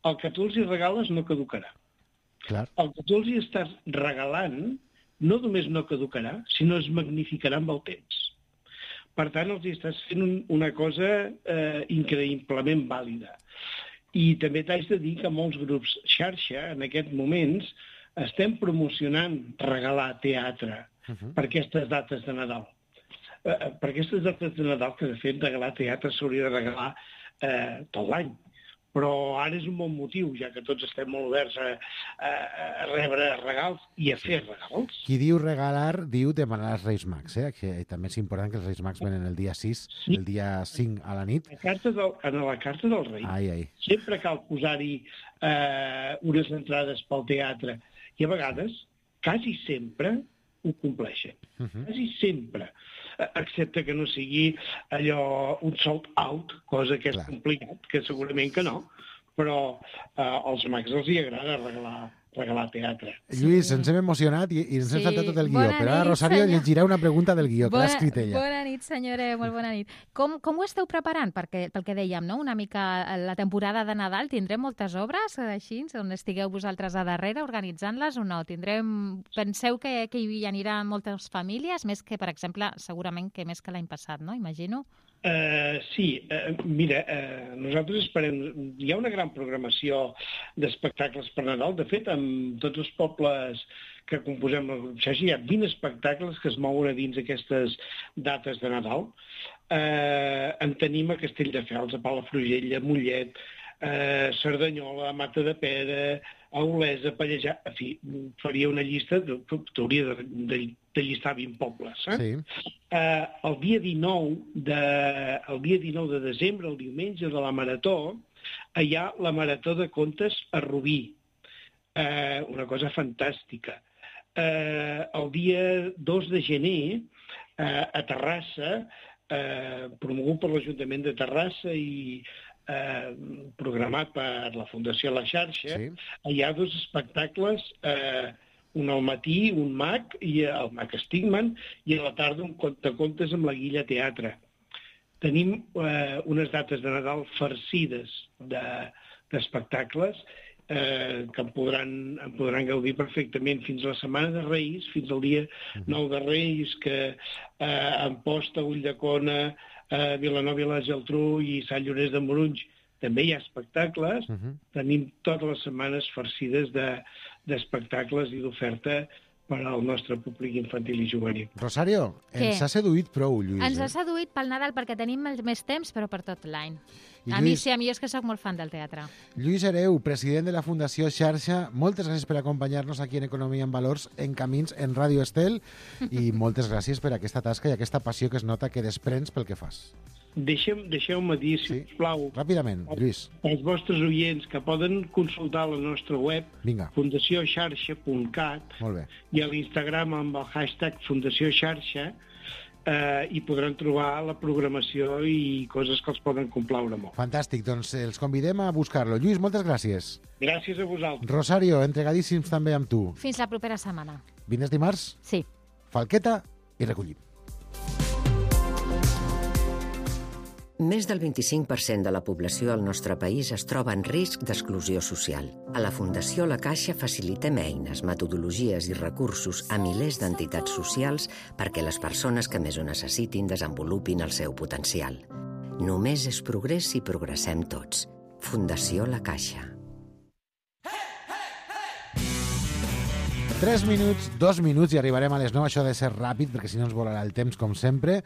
El que tu els hi regales no caducarà. El que tu els hi estàs regalant no només no caducarà, sinó es magnificarà amb el temps. Per tant, els estàs fent una cosa increïblement vàlida. I també t'haig de dir que molts grups xarxa, en aquests moments, estem promocionant regalar teatre. per aquestes dates de Nadal. Per aquestes dates de Nadal, que de fet regalar teatre s'hauria de regalar tot l'any. Però ara és un bon motiu, ja que tots estem molt oberts a rebre regals i a fer regals. Qui diu regalar, diu demanar als Reis Mags, que també és important que els Reis Mags venen el dia 6, el dia 5 a la nit. En la carta del rei sempre cal posar-hi unes entrades pel teatre i a vegades, quasi sempre, ho compleixen. Quasi sempre. Excepte que no sigui allò un sold out, cosa que és complicat, que segurament que no, però als mags els hi agrada regalar teatre. Lluís, ens hem emocionat i ens hem saltat tot el guió, però ara Rosario llegirà una pregunta del guió, que l'ha escrit ella. Bona nit, senyora, molt bona nit. Com ho esteu preparant? Perquè, pel que dèiem, no? Una mica la temporada de Nadal, tindrem moltes obres així, on estigueu vosaltres a darrere organitzant-les o no? Penseu que hi aniran moltes famílies, més que, per exemple, segurament que més que l'any passat, no? Imagino. Sí, mira, nosaltres esperem... Hi ha una gran programació d'espectacles per Nadal. De fet, amb tots els pobles que composem el grup Xarxa, hi ha 20 espectacles que es mouen a dins aquestes dates de Nadal. En tenim a Castelldefels, a Palafrugell, a Mollet, Cerdanyola, a Matadepera, a Olesa, a Pallejà... En fi, faria una llista, t'hauria de llistar 20 pobles. Sí. El dia 19 de desembre, el diumenge de la Marató, hi ha la Marató de Contes a Rubí. Una cosa fantàstica. El dia 2 de gener, a Terrassa, promogut per l'Ajuntament de Terrassa i programat per la Fundació La Xarxa, hi ha 2 espectacles, un al matí, un mag, i el mag Stigman, i a la tarda un contacontes amb la Guilla Teatre. Tenim unes dates de Nadal farcides d'espectacles que en podran gaudir perfectament fins a la Setmana de Reis, fins al dia 9 de Reis, que a Amposta, Ulldecona, Vilanova i la Geltrú i Sant Llorenç de Morunys també hi ha espectacles. Tenim totes les setmanes farcides d'espectacles i d'oferta per al nostre públic infantil i juvenil. Rosario, ens ha seduït prou, Lluís. Ens ha seduït pel Nadal perquè tenim més temps, però per tot l'any. A mi és que sóc molt fan del teatre. Lluís Hereu, president de la Fundació Xarxa, moltes gràcies per acompanyar-nos aquí en Economia en Valors, en Camins, en Ràdio Estel, i moltes gràcies per aquesta tasca i aquesta passió que es nota que desprens pel que fas. Deixeu-me dir, sisplau, ràpidament, Lluís, als vostres oients que poden consultar la nostra web, fundacioxarxa.cat, i a l'Instagram amb el hashtag Fundació Xarxa, i podran trobar la programació i coses que els poden complaure molt. Fantàstic, doncs els convidem a buscar-lo. Lluís, moltes gràcies. Gràcies a vosaltres. Rosario, entregadíssims també amb tu. Fins la propera setmana. Vines dimarts? Sí. Falqueta i recollim. Més del 25% de la població al nostre país es troba en risc d'exclusió social. A la Fundació La Caixa facilitem eines, metodologies i recursos a milers d'entitats socials perquè les persones que més ho necessitin desenvolupin el seu potencial. Només és progrés si progressem tots. Fundació La Caixa. 3 minuts, 2 minuts i arribarem a les 9. Això ha de ser ràpid perquè si no ens volarà el temps, com sempre.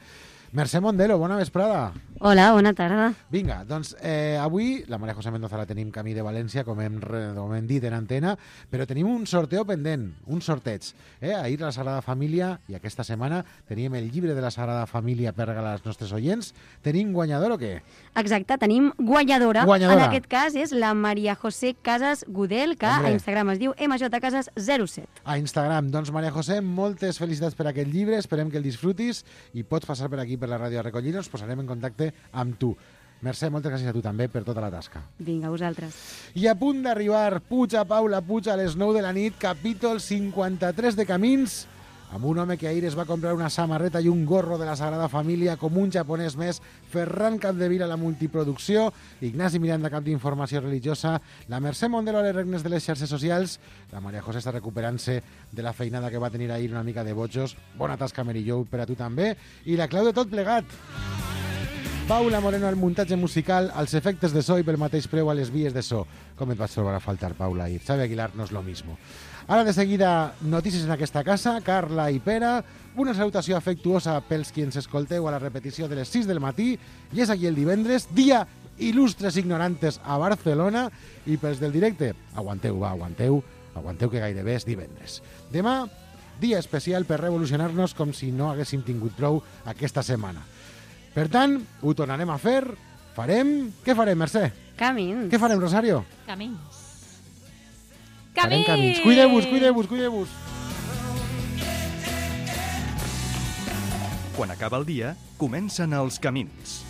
Mercè Mondelo, bona vesprada. Hola, bona tarda. Vinga, doncs avui la Maria José Mendoza la tenim camí de València, com hem dit en antena, però tenim un sorteo pendent, un sorteig. Ahir la Sagrada Família, i aquesta setmana teníem el llibre de la Sagrada Família per regalar als nostres oients. Tenim guanyador o què? Exacte, tenim guanyadora. En aquest cas és la Maria José Casas Gudel, que a Instagram es diu mjcasas07. A Instagram. Doncs Maria José, moltes felicitats per aquest llibre, esperem que el disfrutis i pots passar per aquí per la ràdio a recollir-nos, posarem en contacte amb tu. Mercè, moltes gràcies a tu també per tota la tasca. Vinga, vosaltres. I a punt d'arribar Puig a Paula Puig a les 9 de la nit, capítol 53 de Camins, amb un home que ahir es va comprar una samarreta i un gorro de la Sagrada Família, com un japonès més, Ferran Capdevila a la multiproducció, Ignasi Miranda, cap d'informació religiosa, la Mercè Mondelo a les regnes de les xarxes socials, la Maria José està recuperant-se de la feinada que va tenir ahir una mica de bojos, bona tasca Merillo per a tu també, i la clau de tot plegat. Paula Moreno al muntatge musical, als efectes de so i pel mateix preu a les vies de so. Com et vas trobar a faltar, Paula? I Xavi Aguilar no és lo mismo. Ara de seguida, notícies en aquesta casa, Carla i Pere, una salutació afectuosa pels qui ens escolteu a la repetició de les 6 del matí, i és aquí el divendres, dia il·lustres ignorantes a Barcelona, i pels del directe, aguanteu, va, aguanteu que gairebé és divendres. Demà, dia especial per revolucionar-nos com si no haguéssim tingut prou aquesta setmana. Per tant, ho tornarem a fer, Què farem, Mercè? Camins. Què farem, Rosario? Camins. Farem camins. Cuideu-vos. Quan acaba el dia, comencen els camins.